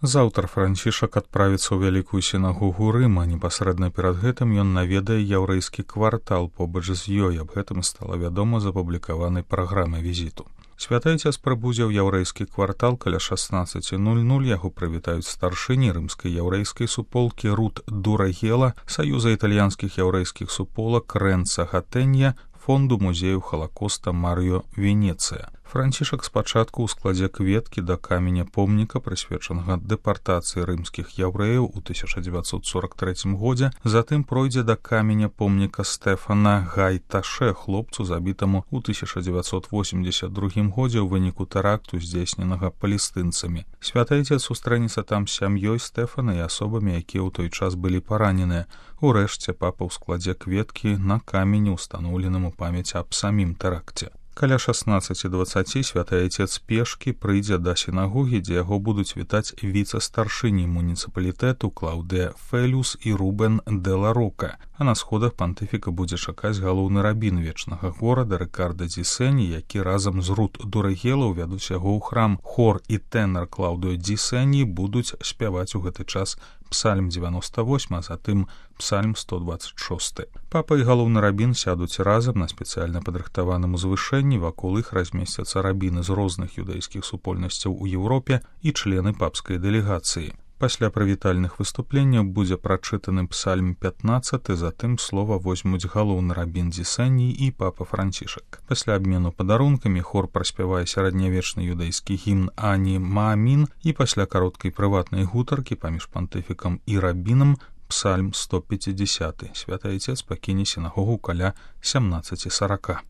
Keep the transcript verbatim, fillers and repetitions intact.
Заўтра Францішак адправіцца ў вялікую сінагогу Рыма. Непасрэдна перад гэтым ён наведае яўрэйскі квартал побач з ёй. Аб гэтым стала вядома з апублікаванай праграмы візіту. Святы Айцец прыбудзе ў яўрэйскі квартал каля шаснаццаць нуль нуль. Яго прывітаюць старшыні рымскай яўрэйскай суполкі Рут Дурагела, Саюза італьянскіх яўрэйскіх суполак Рэнца Гатэнья, фонду музею Халакоста Марыё Венецыя. Францішак спачатку ў складзе кветкі да каменя помніка, прысвечанага дэпартацыі рымскіх яўрэяў у тысяча дзевяцьсот сорак трэцім годзе, затым пройдзе да каменя помніка Стэфана Гайташе, хлопцу, забітаму ў тысяча дзевяцьсот восемьдзесят другім годзе ў выніку тэракту, здзейсненага палестынцамі. Святы Айцец сустрэнецца там з сям'ёй Стэфана і асобамі, якія ў той час былі параненыя. Урэшце папа ў складзе кветкі на камені, устаноўленым у памяць аб самім тэракце. Каля шаснаццаць дваццаць Святы Айцец пешкі прыйдзе да сінагогі, дзе яго будуць вітаць віцэ-старшыні муніцыпалітэту Клаўдыя Фелюс і Рубен де ла Рока. А на сходах пантыфіка будзе чакаць галоўны рабін вечнага горада Рыкарда Дзісені, які разам з Рут Дурагела ўвядуць яго ў храм. Хор і тэнар Клаўдыё Дзісені будуць спяваць у гэты час псальм дзевяносто восьмы, а затым псальм сто дваццаць шосты. Папа і галоўны рабін сядуць разам на спецыяльна падрыхтаваным узвышэнні, вакол іх размесцяцца рабіны з розных юдэйскіх супольнасцяў у Еўропе і члены папскай дэлегацыі. Пасля прывітальных выступленняў будзе прачытаны псальм пятнаццаты, затым слова возьмуць галоўны рабін Дзісені і папа Францішак. Пасля абмену падарункамі хор праспявае сярэднявечны юдэйскі гімн Ані Маамін і пасля кароткай прыватнай гутаркі паміж пантыфікам і рабінам псальм сто пяцідзясяты. Святы Айцец пакіне сінагогу каля сямнаццаць сорок.